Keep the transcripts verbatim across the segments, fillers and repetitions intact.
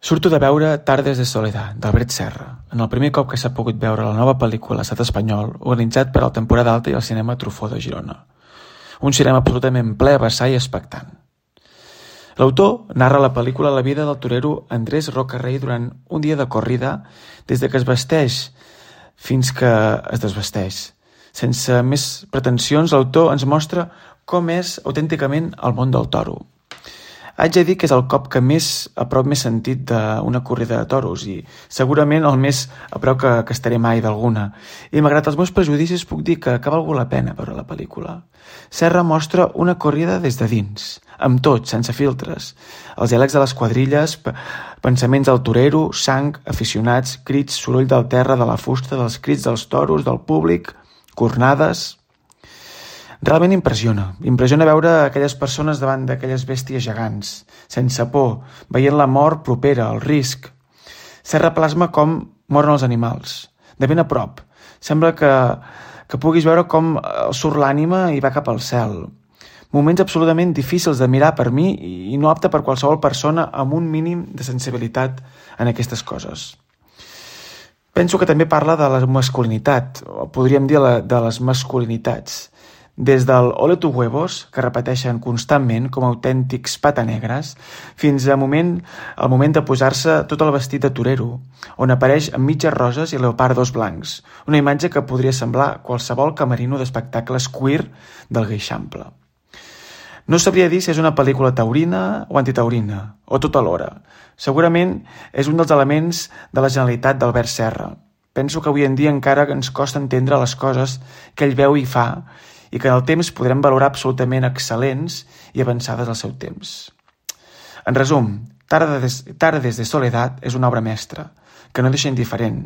Surto de veure Tardes de Soledad, d'Albert Serra, en el primer cop que s'ha pogut veure la nova pel·lícula a l'estat espanyol, organitzat per la temporada alta i el cinema Truffaut de Girona. Un cinema absolutament ple, vessar i expectant. L'autor narra a la pel·lícula la vida del torero Andrés Rocarrey durant un dia de corrida, des de que es vesteix fins que es desvesteix. Sense més pretensions, l'autor ens mostra com és autènticament el món del toro. Haig de dir que és el cop que més a prop m'he sentit d'una corrida de toros i segurament el més a prop que, que estaré mai d'alguna. I malgrat els meus prejudicis puc dir que, que ha valgut la pena veure la pel·lícula. Serra mostra una corrida des de dins, amb tot, sense filtres. Els diàlegs de les quadrilles, pensaments del torero, sang, aficionats, crits, soroll del terra, de la fusta, dels crits dels toros, del públic, cornades... Realment impressiona. Impressiona veure aquelles persones davant d'aquelles bèsties gegants, sense por, veient la mort propera, el risc. Serra plasma com moren els animals, de ben a prop. Sembla que, que puguis veure com surt l'ànima i va cap al cel. Moments absolutament difícils de mirar per mi i no apte per qualsevol persona amb un mínim de sensibilitat en aquestes coses. Penso que també parla de la masculinitat, o podríem dir de les masculinitats. Des del ole tu huevos, que repeteixen constantment com autèntics patanegres, fins al moment, al moment de posar-se tot el vestit de torero, on apareix amb mitges roses i leopardos blancs, una imatge que podria semblar qualsevol camerino d'espectacles queer del Gueixample. No sabria dir si és una pel·lícula taurina o antitaurina, o tot alhora. Segurament és un dels elements de la genialitat d'Albert Serra. Penso que avui en dia encara ens costa entendre les coses que ell veu i fa, i que en el temps podrem valorar absolutament excel·lents i avançades al seu temps. En resum, Tardes, Tardes de Soledad és una obra mestra, que no deixa indiferent,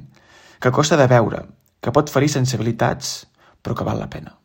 que costa de veure, que pot ferir sensibilitats, però que val la pena.